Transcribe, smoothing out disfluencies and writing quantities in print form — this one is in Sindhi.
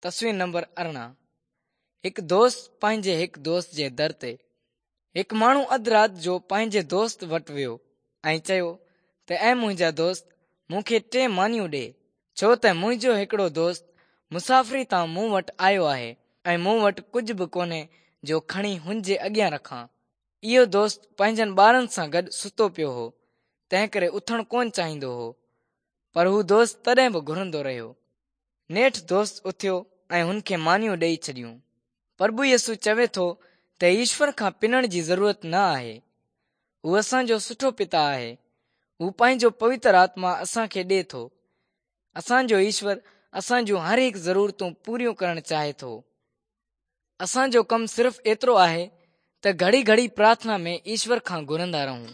تصوير نمبر 18 هڪ دوست پنهنجي هڪ دوست جي در تي. هڪ ماڻهو اڌ رات جو پنهنجي دوست وٽ ويو ۽ چيو ته اي منهنجا دوست مون کي ٽي مانيون ڏي ڇو ته منهنجو هڪڙو دوست مسافري تان مون وٽ آيو آهي ۽ مون وٽ ڪجهه به ڪونهي جو کڻي هن جي اڳيان رکان. اهو دوست پنهنجن ٻارن سان گڏ ستو پيو هو، تنهنڪري اٿڻ ڪونه چاهيندو هو. پر هو دوست تڏهن به گهرندو رهيو. نيٺ دوست اٿيو ۽ هن کي مانيون ڏيئي ڇڏيون. پرڀو يسوع چوي ٿو ته ايشور کان پنڻ جي ضرورت نه آهي. هو اسان جو سٺو پتا آهي. هو پنهنجو پوتر آتما اسان کي ڏي ٿو. اسان جو ايشور اسان جون هر هڪ ضرورتون پوريون ڪرڻ چاهي ٿو. اسان جو ڪم صرف ايترو آهي ته گهڙي گهڙي پرارٿنا ۾ ايشور کان گهرندا رهون.